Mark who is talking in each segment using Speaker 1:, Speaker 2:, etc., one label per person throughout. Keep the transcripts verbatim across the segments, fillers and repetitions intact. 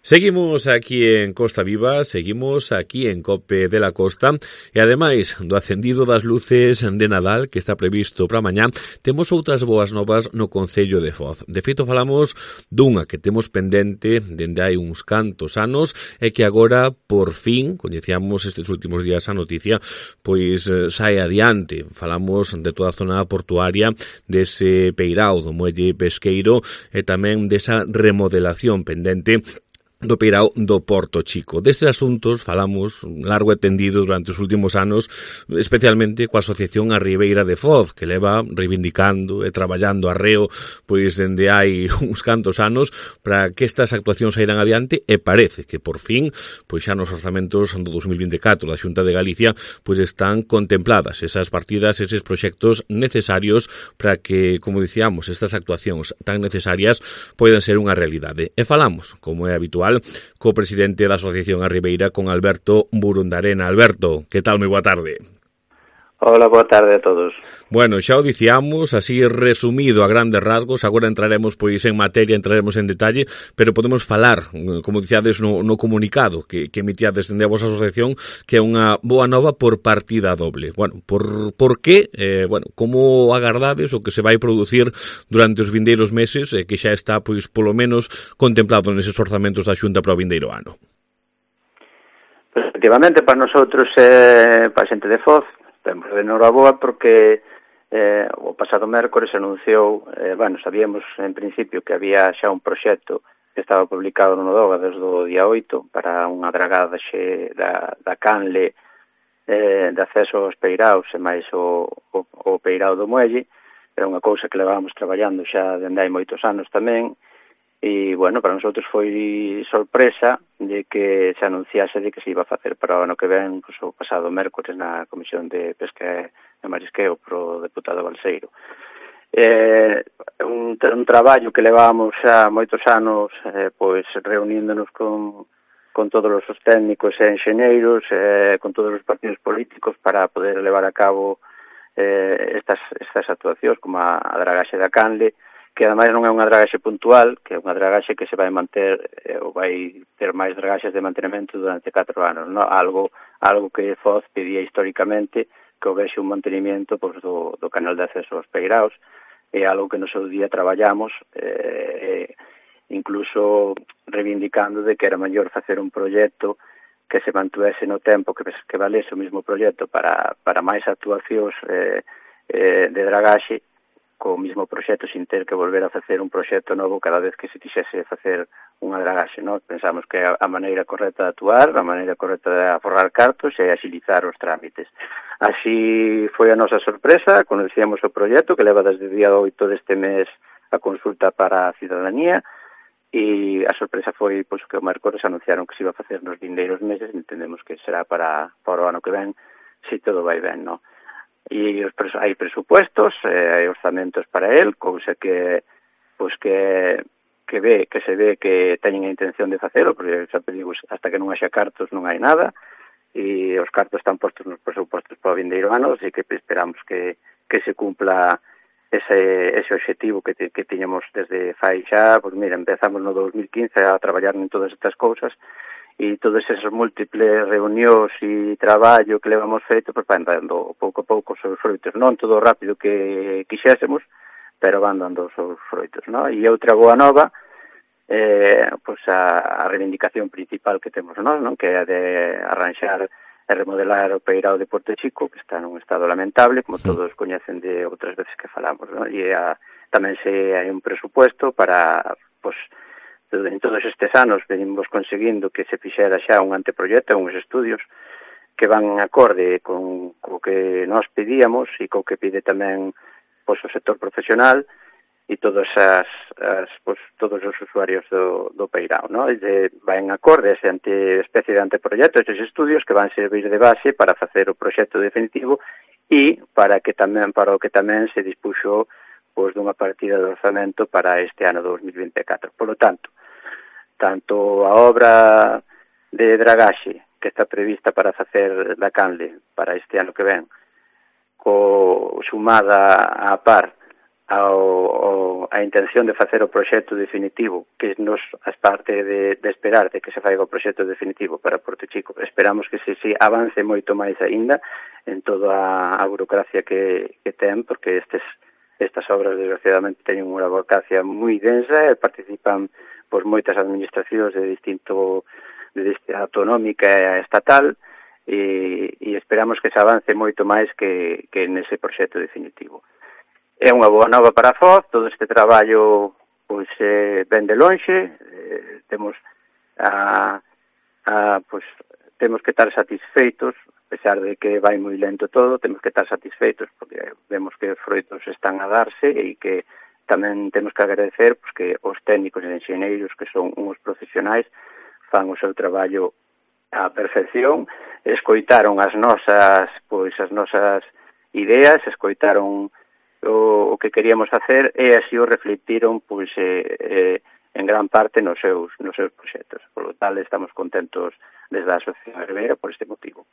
Speaker 1: Seguimos aquí en Costa Viva, seguimos aquí en Cope de la Costa e ademais do acendido das luces de Nadal que está previsto para mañá, temos outras boas novas no Concello de Foz. De feito falamos dunha que temos pendente dende hai uns cantos anos e que agora por fin, coñecíamos estes últimos días a noticia, pois sai adiante. Falamos de toda a zona portuaria, dese peirao do muelle pesqueiro e tamén desa remodelación pendente do peirao do Porto Chico. Destes asuntos falamos largo e tendido durante os últimos anos, especialmente coa Asociación A Ribeira de Foz, que leva reivindicando e traballando arreo pois dende hai uns cantos anos para que estas actuacións saíran adiante e parece que por fin, pois xa nos orzamentos do dos mil vinte e catro da Xunta de Galicia, pois están contempladas esas partidas, eses proxectos necesarios para que, como dicíamos, estas actuacións tan necesarias poidan ser unha realidade. E falamos, como é habitual, co presidente da Asociación A Ribeira, con Alberto Burundarena. Alberto, que tal? Moi boa tarde.
Speaker 2: Hola, boa tarde a todos.
Speaker 1: Bueno, xa o dicíamos, así resumido a grandes rasgos, agora entraremos pois en materia, entraremos en detalle, pero podemos falar, como dicíades no, no comunicado que, que emitíades dende a vosa asociación, que é unha boa nova por partida doble. Bueno, por, por que, eh, bueno, como agardades o que se vai producir durante os vindeiros meses, eh, que xa está, pois, polo menos contemplado neses orzamentos da Xunta para o vindeiro ano?
Speaker 2: Pues, efectivamente, para nosotros, eh, para a xente de Foz, temos de noraboa porque eh, o pasado mércores anunciou, eh, bueno, sabíamos en principio que había xa un proxecto que estaba publicado no Nodoga desde o día oito para unha dragada xe da, da canle eh, de acceso aos peiraos e máis o, o, o peirao do muelle. Era unha cousa que levábamos traballando xa dende hai moitos anos tamén. E, bueno, para nosotros foi sorpresa de que se anunciase de que se iba a facer para o ano que ven, pues, o pasado mércores na Comisión de Pesca e Marisqueo pro deputado Balseiro. Eh, un, un traballo que levábamos xa moitos anos eh, pois reuníndonos con, con todos os técnicos e enxeñeiros, eh, con todos os partidos políticos para poder levar a cabo eh, estas, estas actuacións como a, a dragaxe da canle, que ademais non é unha dragaxe puntual, que é unha dragaxe que se vai manter eh, ou vai ter máis dragaxes de mantenimento durante catro anos, no? algo algo que Foz pedía históricamente que houvese un mantenimento pois, do, do canal de acceso aos peiraos, é algo que no seu día traballamos, eh, incluso reivindicando de que era mellor facer un proxecto que se mantuese no tempo, que, que valese o mesmo proxecto para, para máis actuacións eh, eh, de dragaxe, co mismo proxecto sin ter que volver a facer un proxecto novo cada vez que se quixese facer unha dragaxe, non? Pensamos que a maneira correcta de actuar, a maneira correcta de aforrar cartos e agilizar os trámites. Así foi a nosa sorpresa, conocíamos o proxecto que leva desde o día oito deste mes a consulta para a cidadanía e a sorpresa foi pois, que o mércores anunciaron que se iba a facer nos vindeiros meses, entendemos que será para, para o ano que ven, se todo vai ben, non? E os pres- hai presupuestos, eh, hai orzamentos para el, cousa que pois que que ve, que se ve que teñen a intención de facelo, porque xa digo, hasta que non haxa cartos non hai nada, e os cartos están postos nos presupuestos para o vindeiro ano, así que esperamos que, que se cumpla ese, ese objetivo que, te, que tiñamos desde fai xa, pois mira, empezamos no dos mil quince a traballar en todas estas cousas, e todas esas múltiples reunións e traballo que levamos feito, pois van dando pouco a pouco os seus froitos, non todo rápido que quixésemos, pero van dando os seus froitos, non? E outra boa nova, eh, pois a, a reivindicación principal que temos nós, non? Que é a de arranxar e remodelar o peirao de Porto Chico, que está nun estado lamentable, como todos coñecen de outras veces que falamos, non? E a, tamén se hai un presupuesto para, pois, en todos estes anos venimos conseguindo que se fixera xa un anteproxecto, uns estudios que van acorde con co que nós pedíamos e co que pide tamén pois, o sector profesional e todos as, as pois, todos os usuarios do, do peirao, ¿no? E de, van acorde ese ante, especie de anteproxecto, estes estudios que van servir de base para facer o proxecto definitivo e para que tamén para o que tamén se dispuxo pois, dunha partida de orzamento para este ano dos mil vinte e catro. Por lo tanto, tanto a obra de dragaxe que está prevista para facer da canle para este ano que ven, co sumada a par ao, ao, a intención de facer o proxecto definitivo, que nos, as parte de, de esperar de que se faiga o proxecto definitivo para Porto Chico, esperamos que se, se avance moito máis aínda en toda a, a burocracia que, que ten, porque estes, estas obras desgraciadamente teñen unha burocracia moi densa e participan pois, moitas administracións de distinto de distinta autonómica e estatal, e, e esperamos que se avance moito máis que, que nese proxecto definitivo. É unha boa nova para a Foz, todo este traballo pois eh, ven de lonxe, eh, temos a, a pois temos que estar satisfeitos, a pesar de que vai moi lento todo, temos que estar satisfeitos porque vemos que os froitos están a darse e que tamén temos que agradecer pois, que os técnicos e enxeneiros, que son uns profesionais, fan o seu traballo á perfección, escoitaron as nosas, pois as nosas ideas, escoitaron o, o que queríamos facer e así o reflectiron pois eh, eh, en gran parte nos seus nos seus proxectos. Por lo tal estamos contentos desde a Asociación Herbeira por este motivo.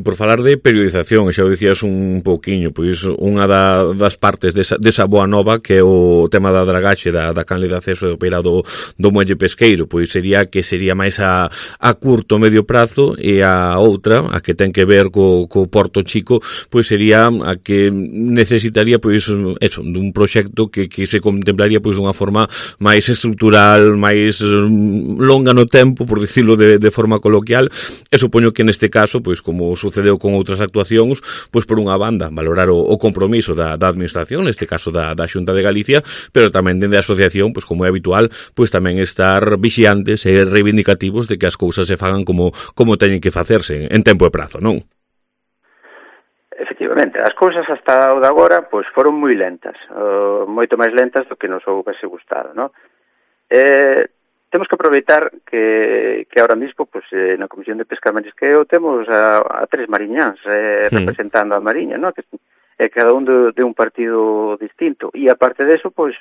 Speaker 1: Por falar de periodización, xa o dicías un pouquiño, pois unha da, das partes desa, desa boa nova que é o tema da dragaxe da, da canle de acceso do peira do, do muelle pesqueiro, pois sería que sería máis a, a curto medio prazo, e a outra, a que ten que ver co, co Porto Chico, pois sería a que necesitaría pois eso, dun proxecto que, que se contemplaría pois dunha forma máis estrutural, máis longa no tempo, por dicirlo de, de forma coloquial, e supoño que neste caso, pois como sucedeu con outras actuacións, pois por unha banda valorar o, o compromiso da, da administración, neste caso da, da Xunta de Galicia, pero tamén dende a asociación, pois como é habitual, pois tamén estar vixiantes e reivindicativos de que as cousas se fagan como como teñen que facerse en tempo e prazo, non?
Speaker 2: Efectivamente, as cousas hasta o de agora pois foron moi lentas, uh, moito máis lentas do que nos houvese gustado, non? Eh, temos que aproveitar que, que ahora mismo pues, eh, na Comisión de Pesca e Marisqueo temos a, a tres mariñáns eh, sí. representando a Mariña, ¿no? Que é cada un de, de un partido distinto, e aparte de eso, pois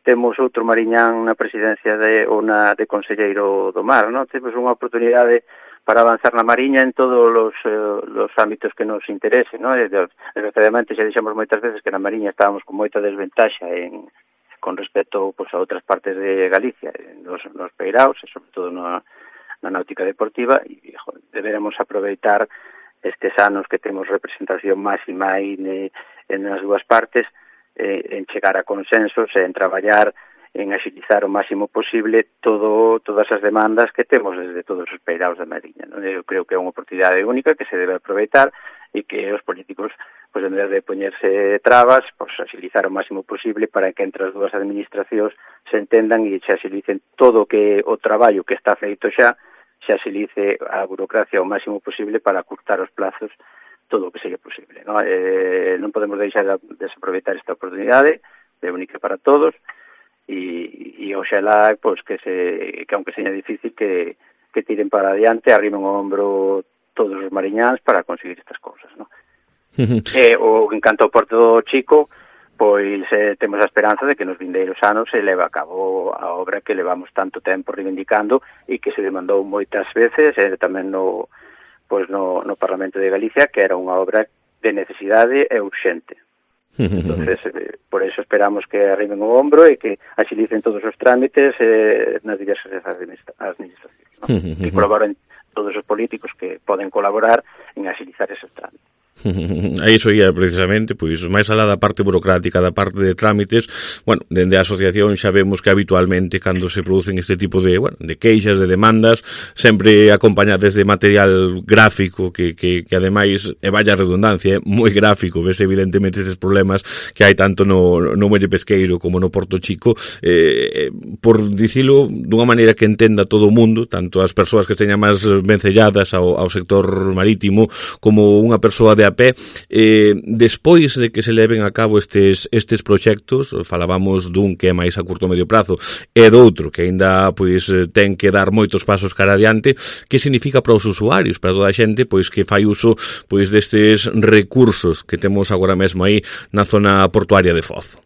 Speaker 2: temos outro mariñán na presidencia de, ou na de Conselleiro do Mar, ¿no? Temos unha oportunidade para avanzar na Mariña en todos os, eh, los ámbitos que nos interesen, ¿no? Desgraciadamente xa dixemos moitas veces que na Mariña estábamos con moita desventaxa en con respecto pues, a outras partes de Galicia, nos, nos peiraos, e sobre todo na, na náutica deportiva, e joder, deberemos aproveitar estes anos que temos representación máxima aí ne, en as dúas partes, eh, en chegar a consensos e en traballar en agilizar o máximo posible todo todas as demandas que temos desde todos os peiraos da Mariña, ¿no? Eu creo que é unha oportunidade única que se debe aproveitar e que os políticos pois en vez de poñerse trabas, pois agilizar o máximo posible para que entre as dúas administracións se entendan e se agilicen todo o que o traballo que está feito xa, se agilice a burocracia o máximo posible para acurtar os plazos todo o que seja posible, ¿no? Eh, non podemos deixar de desaproveitar esta oportunidade, é única para todos, e, e oxalá pois, que, se, que aunque seña difícil que, que tiren para adiante, arrimen o hombro todos os mariñáns para conseguir estas cousas, ¿no? E o en canto ao Porto Chico, pois eh, temos a esperanza de que nos vindeiros anos se leva a cabo a obra que levamos tanto tempo reivindicando e que se demandou moitas veces, e eh, tamén no, pois no, no Parlamento de Galicia, que era unha obra de necesidade e urxente. Entonces, eh, por eso esperamos que arriben o hombro e que axilicen todos os trámites eh, nas diversas administracións, ¿no? E colaboren todos os políticos que poden colaborar en axilizar esos trámites.
Speaker 1: A iso ia precisamente, pois máis alá da parte burocrática, da parte de trámites, bueno, dende a asociación xa vemos que habitualmente cando se producen este tipo de, bueno, de queixas, de demandas, sempre acompañadas de material gráfico que, que, que ademais, e vaya redundancia, é moi gráfico, ves evidentemente estes problemas que hai tanto no, no muelle pesqueiro como no Porto Chico, eh, por dicilo dunha maneira que entenda todo o mundo, tanto as persoas que teñan máis vencelladas ao, ao sector marítimo, como unha persoa de a pé, eh, despois de que se leven a cabo estes estes proxectos, falábamos dun que é máis a curto medio prazo e do outro que aínda pois ten que dar moitos pasos cara adiante, que significa para os usuarios, para toda a xente pois que fai uso pois destes recursos que temos agora mesmo aí na zona portuaria de Foz?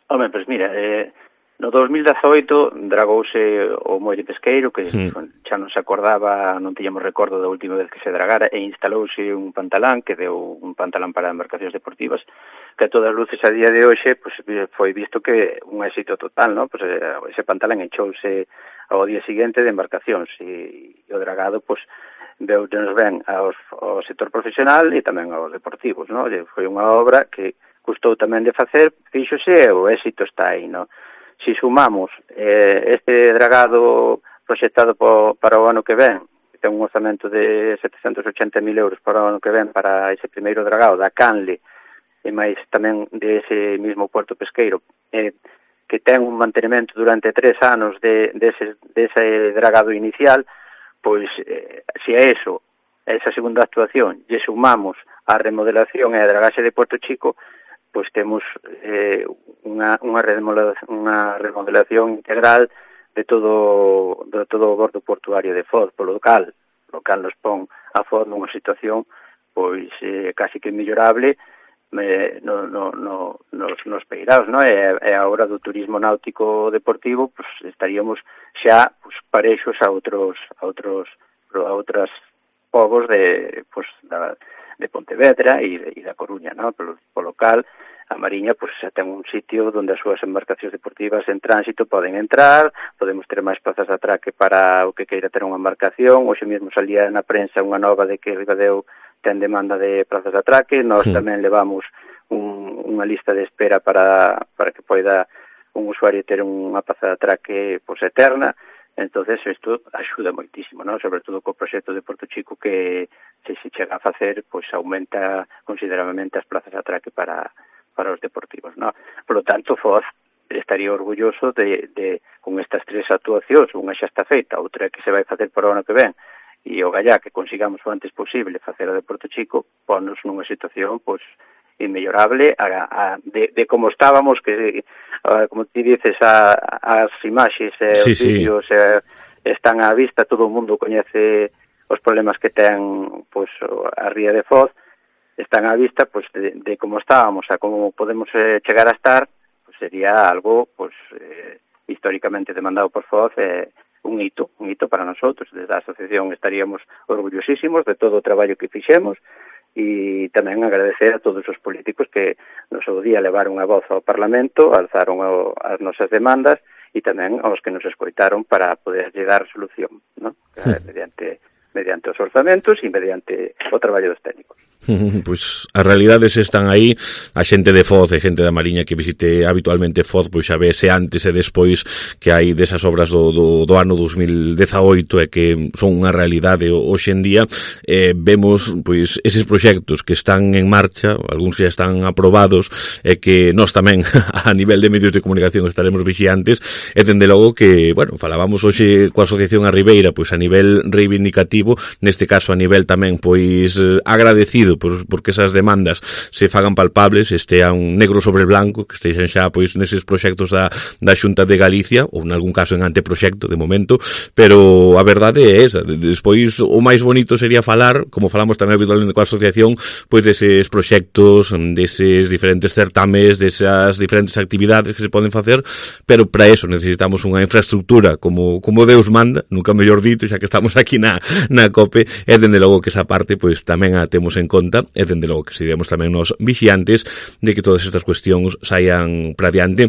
Speaker 2: Home, pois mira, eh, no dos mil dezaoito dragouse o muelle pesqueiro, que sí. xa non se acordaba, non tiñamos recordo da última vez que se dragara, e instalouse un pantalán, que deu un pantalán para embarcacións deportivas, que a todas luces a día de hoxe pues, foi visto que un éxito total, ¿no? Pues, ese pantalón enchouse ao día seguinte de embarcacións e, e o dragado pues, veu nos ben aos, ao sector profesional e tamén aos deportivos, ¿no? Foi unha obra que custou tamén de facer, fíxose e o éxito está aí, ¿no? Si sumamos eh, este dragado proxectado po, para o ano que ven, que ten un orzamento de setecentos ochenta mil euros para o ano que ven para ese primeiro dragado da Canle, e máis tamén de ese mismo puerto pesqueiro, eh, que ten un mantenimento durante tres anos de, de, ese, de ese dragado inicial, pois, eh, se a eso, a esa segunda actuación, lle sumamos a remodelación e a dragaxe de Puerto Chico, pois temos eh, unha, unha, remodelación, unha remodelación integral de todo, de todo o bordo portuario de Foz, polo local, local nos pon a Foz nunha situación pois eh, casi que mellorable, Eh, no, no, no, nos, nos peiraos, no? E, e a hora do turismo náutico deportivo pues, estaríamos xa pues, parexos a outros a outros a outras povos de pues, da, de Pontevedra e, e da Coruña, no? Polo, polo local a Mariña pues, xa ten un sitio onde as súas embarcacións deportivas en tránsito poden entrar, podemos ter máis plazas de atraque para o que queira ter unha embarcación. Hoxe mesmo salía na prensa unha nova de que Ribadeo ten demanda de plazas de atraque, nós sí. tamén levamos un, unha lista de espera para, para que poida un usuario ter unha plaza de atraque pues, eterna. Entonces isto axuda moitísimo, ¿no? Sobre todo co proxecto de Porto Chico que se se chega a facer, pois pues, aumenta considerablemente as plazas de atraque para, para os deportivos, ¿no? Por lo tanto, Foz estaría orgulloso de, de con estas tres actuacións, unha xa está feita, outra que se vai facer para o ano que ven, e o gallá que consigamos o antes posible facer a de Porto Chico, ponnos nunha situación pois inmellorable a, a, de, de como estábamos, que a, como ti dices a, as imaxes e sí, os vídeos sí. e, están á vista, todo o mundo coñece os problemas que ten pois a ría de Foz, están á vista pois de, de como estábamos a como podemos eh, chegar a estar, pois sería algo pois eh, históricamente demandado por Foz e eh, un hito, un hito para nosotros. Desde a asociación estaríamos orgullosísimos de todo o traballo que fixemos e tamén agradecer a todos os políticos que nos o día levaron a voz ao Parlamento, alzaron o, as nosas demandas e tamén aos que nos escoitaron para poder dar solución, ¿no? Sí. mediante mediante os orzamentos e mediante o traballo dos técnicos.
Speaker 1: Pois as realidades están aí, a xente de Foz e xente da Mariña que visite habitualmente Foz, pois xa vese antes e despois que hai desas obras do, do, do ano dos mil dezaoito e que son unha realidade hoxe en día. Eh, vemos pois eses proxectos que están en marcha, algúns xa están aprobados e que nós tamén a nivel de medios de comunicación estaremos vixiantes e dende logo que, bueno, falábamos hoxe coa Asociación A Ribeira, pois a nivel reivindicativo, neste caso a nivel tamén pois agradecido por, porque esas demandas se fagan palpables, estean negro sobre blanco, que esteixen xa pois neses proxectos da, da Xunta de Galicia ou en algún caso en anteproxecto de momento, pero a verdade é esa. Despois o máis bonito sería falar, como falamos tamén habitualmente coa asociación, pois deses proxectos, deses diferentes certames, desas diferentes actividades que se poden facer, pero para eso necesitamos unha infraestructura como, como Deus manda, nunca mellor dito, xa que estamos aquí na, na COPE, e dende logo que esa parte pois tamén a temos en conta e dende logo que seremos tamén nos vixiantes de que todas estas cuestións saian para diante,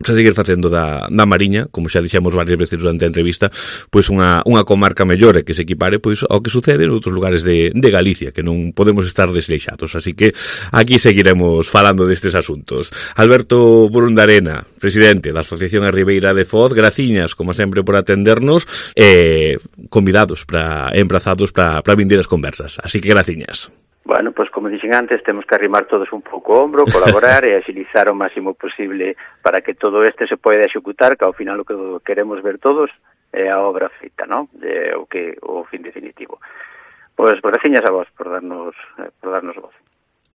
Speaker 1: para seguir facendo da, da Mariña, como xa dixemos varias veces durante a entrevista, pois unha, unha comarca mellor e que se equipare pois ao que sucede en outros lugares de, de Galicia, que non podemos estar desleixados. Así que aquí seguiremos falando destes asuntos. Alberto Burundarena, presidente da Asociación A Ribeira de Foz, graciñas, como sempre, por atendernos e convidados, para emplazados para vindeiras conversas. Así que graciñas.
Speaker 2: Bueno, pois como dixen antes, temos que arrimar todos un pouco o ombro, colaborar e agilizar o máximo posible para que todo este se poida executar, que ao final o que queremos ver todos é a obra feita, ¿no? De, o que o fin definitivo. Pois graciñas a vos por darnos por darnos voz.